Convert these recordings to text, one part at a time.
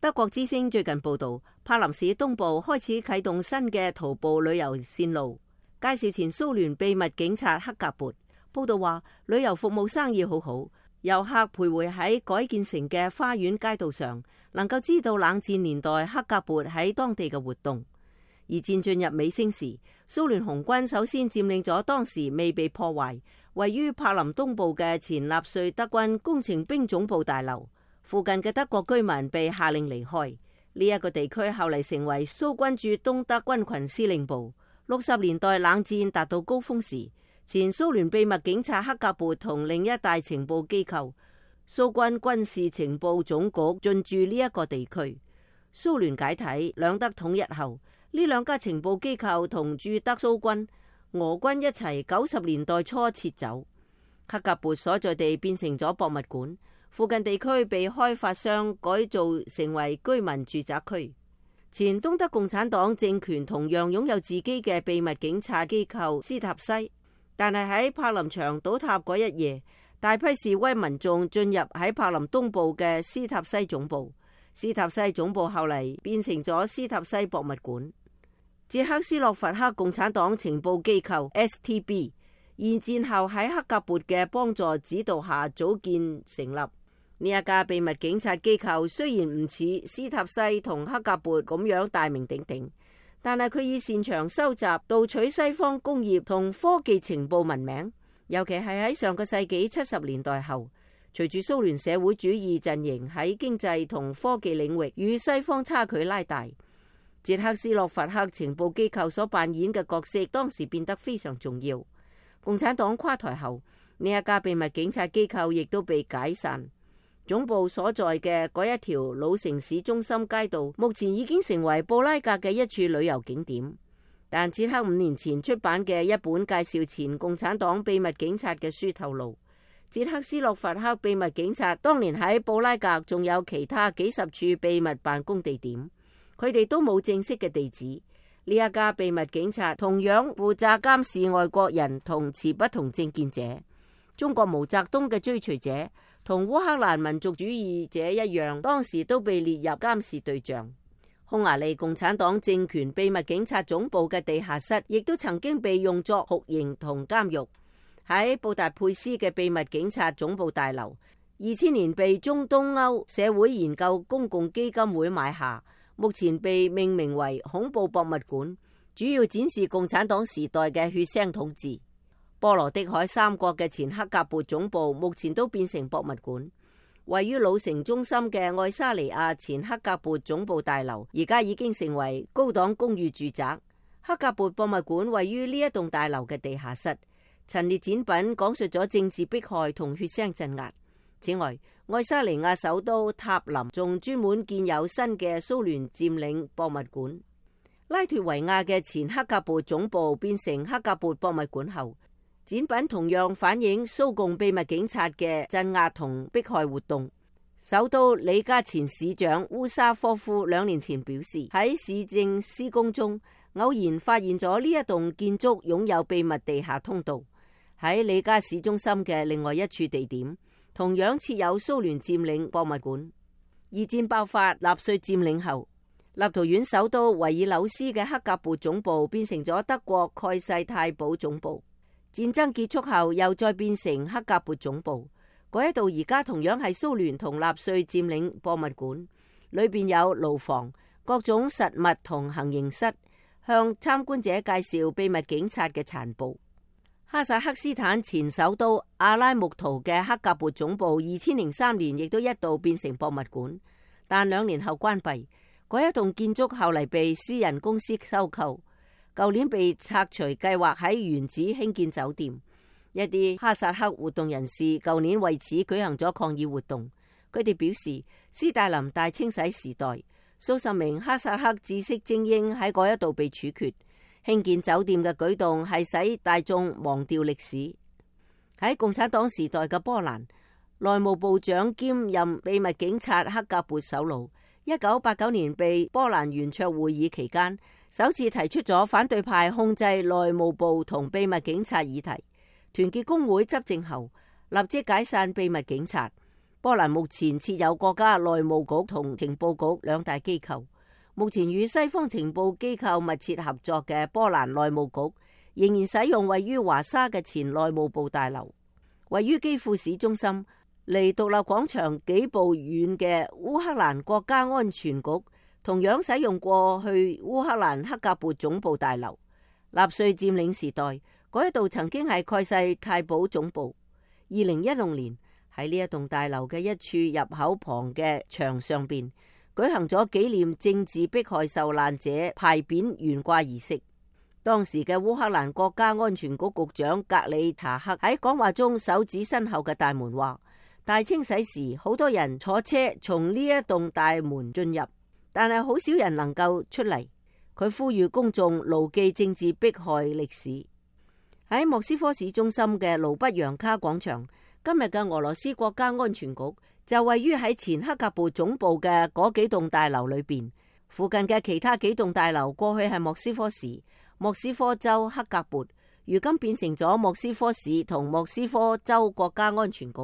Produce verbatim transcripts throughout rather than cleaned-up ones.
德國之聲最近報道，柏林市東部開始啟動新嘅徒步旅遊線路，介紹前蘇聯秘密警察克格勃。報道話，旅遊服務生意好好，遊客徘徊喺改建成嘅花園街道上，能夠知道冷戰年代克格勃喺當地嘅活動。而戰進入尾聲時，蘇聯紅軍首先佔領咗當時未被破壞、位於柏林東部嘅前納粹德軍工程兵總部大樓。附近嘅德國居民被下令離開。呢一個地區後嚟成為蘇軍駐東德軍群司令部。六十年代冷戰達到高峰時，前蘇聯秘密警察克格勃同另一大情報機構蘇軍軍事情報總局進駐呢一個地區。蘇聯解體、兩德統一後，呢兩家情報機構同駐德蘇軍、俄軍一齊九十年代初撤走。克格勃所在地變成咗博物館。附近地區被開發商改造成為居民住宅區。前東德共產黨政權同樣擁有自己嘅秘密警察機構斯塔西，但係喺柏林牆倒塌嗰一夜，大批示威民眾進入喺柏林東部嘅斯塔西總部。斯塔西總部後嚟變成咗斯塔西博物館。捷克斯洛伐克共產黨情報機構 S T B 二戰後喺克格勃嘅幫助指導下組建成立。呢一家秘密警察機構雖然唔似斯塔西同克格勃咁樣大名鼎鼎，但係佢以擅長收集盜取西方工業同科技情報聞名。尤其係喺上個世紀七十年代後，隨住蘇聯社會主義陣營喺經濟同科技領域與西方差距拉大，捷克斯洛伐克情報機構所扮演嘅角色當時變得非常重要。共產黨垮台後，呢一家秘密警察機構亦都被解散。總部所在嘅嗰一條老城市中心街道，目前已經成為布拉格嘅一處旅遊景點。但捷克五年前出版嘅一本介紹前共產黨秘密警察嘅書透露，捷克斯洛伐克秘密警察當年喺布拉格仲有其他幾十處秘密辦公地點，佢哋都冇正式嘅地址。呢一家秘密警察同樣負責監視外國人同持不同政見者。中國毛澤東嘅追隨者同烏克蘭民族主義者一樣，當時都被列入監視對象。匈牙利共產黨政權秘密警察總部嘅地下室亦都曾經被用作酷刑同監獄。喺布達佩斯嘅秘密警察總部大樓，二千年被中東歐社會研究公共基金會買下，目前被命名為恐怖博物館，主要展示共產黨時代嘅血腥統治。波羅的海三國嘅前克格勃總部目前都變成博物館。位於老城中心嘅愛沙尼亞前克格勃總部大樓，而家已經成為高檔公寓住宅。克格勃博物館位於呢一棟大樓嘅地下室，陳列展品講述咗政治迫害同血腥鎮壓。此外，愛沙尼亞首都塔林仲專門建有新嘅蘇聯佔領博物館。拉脫維亞嘅前克格勃總部變成克格勃博物館後，展品同樣反映蘇共秘密警察嘅鎮壓同迫害活動。首都里加前市長烏沙科夫兩年前表示，喺市政施工中偶然發現咗呢一棟建築擁有秘密地下通道。喺里加市中心嘅另外一處地點，同樣設有蘇聯佔領博物館。二戰爆發，納粹佔領後，立陶宛首都維爾紐斯嘅克格勃總部變成咗德國蓋世太保總部。戰爭結束後，又再變成克格勃總部。嗰一度而家同樣係蘇聯同納粹佔領博物館，裏邊有牢房、各種實物同行刑室，向參觀者介紹秘密警察嘅殘暴。哈薩克斯坦前首都阿拉木圖嘅克格勃總部，二千零三年亦都一度變成博物館，但兩年後關閉。嗰一棟建築後嚟被私人公司收購。舊年被拆除，計劃喺原址興建酒店。一啲哈薩克活動人士舊年為此舉行咗抗議活動。佢哋表示，斯大林大清洗時代，數十名哈薩克知識精英喺嗰一度被處決。興建酒店嘅舉動係使大眾忘掉歷史。喺共產黨時代嘅波蘭，內務部長兼任秘密警察克格勃首腦，一九八九年被波蘭圓桌會議期間首次提出咗反對派控制內務部同秘密警察議題。團結工會執政後，立即解散秘密警察，波蘭目前設有國家內務局同情報局兩大機構。目前與西方情報機構密切合作嘅波蘭內務局，仍然使用位於華沙嘅前內務部大樓。位於基輔市中心，離獨立廣場幾步遠嘅烏克蘭國家安全局，同樣使用過去烏克蘭克格勃總部大樓。納粹佔領時代，嗰一度曾經係蓋世太保總部。二零一六年喺呢一棟大樓嘅一處入口旁嘅牆上邊，舉行咗紀念政治迫害受難者牌匾懸掛儀式。當時嘅烏克蘭國家安全局局長格里查克喺講話中手指身後嘅大門話：大清洗時好多人坐車從呢一棟大門進入，但係好少人能夠出嚟。佢呼籲公眾牢記政治迫害歷史。喺莫斯科市中心嘅盧布揚卡廣場，今日嘅俄羅斯國家安全局就位於喺前克格勃總部嘅嗰幾棟大樓裏邊。附近嘅其他幾棟大樓過去係莫斯科市、莫斯科州克格勃，如今變成咗莫斯科市同莫斯科州國家安全局。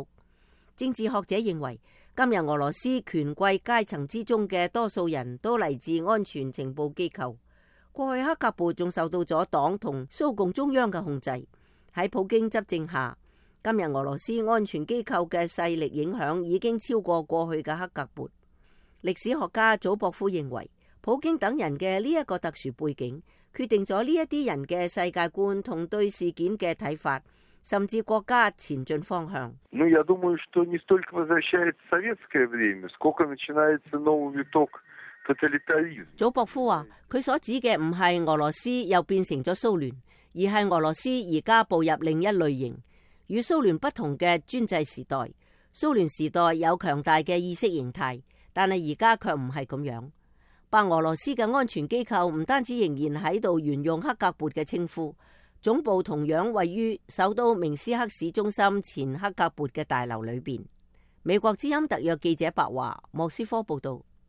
政治學者認為，今日俄羅斯權貴階層之中嘅多數人都嚟自安全情報機構。過去克格勃仲受到咗黨同蘇共中央嘅控制。喺普京執政下，今日俄羅斯安全機構嘅勢力影響已經超過過去嘅克格勃。歷史學家祖博夫認為，普京等人嘅呢一個特殊背景，決定咗呢一啲人嘅世界觀同對事件嘅睇法，甚至國家前進方向。Я думаю, что не столько возвращается советское время, сколько начинается новый виток тоталитаризма。祖博夫話，佢所指嘅唔係俄羅斯又變成咗蘇聯，而係俄羅斯而家步入另一類型，與蘇聯不同嘅專制時代。蘇聯時代有強大嘅意識形態，但係而家卻唔係咁樣。白俄羅斯嘅安全機構唔單止仍然喺度沿用克格勃嘅稱呼，總部同樣位於首都明斯克市中心前克格勃嘅大樓裏邊。美國之音特約記者白華，莫斯科報道。